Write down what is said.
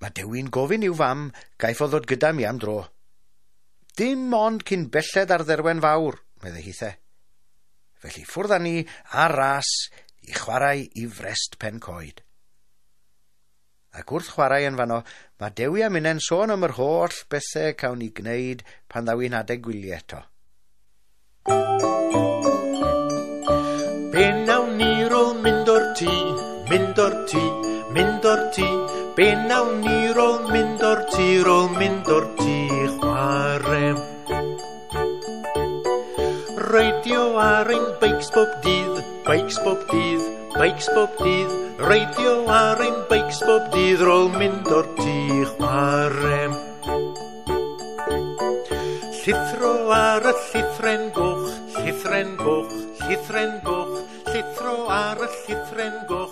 Mae Dewi'n gofyn i'w fam gaiff o ddod gyda mi am dro. Dim ond cyn belled ar dderwen fawr, meddai hithe. Felly ffwrdd â ni ar ras i chwarae i Frest Pen Coed. Ac wrth chwarae yn fanno, mae Dewi a minnau'n sôn am yr holl bethau cawn ni gwneud pan ddaw hi'n adeg gwyliau eto. Be nawn ni rôl mynd o'r tŷ, mynd o'r tŷ, mynd o'r tŷ. Be nawn ni rôl mynd o'r tŷ, rôl mynd o'r tŷ, chwarae. Reidio ar ein beics bob dydd, beics bob dydd, beics bob dydd. Reidio ar ein beics bob dydd, rôl mynd o'r tŷ, chwarae. Llithro ar y llithren goch, llithren goch, llithren goch, llithro ar y llithren goch.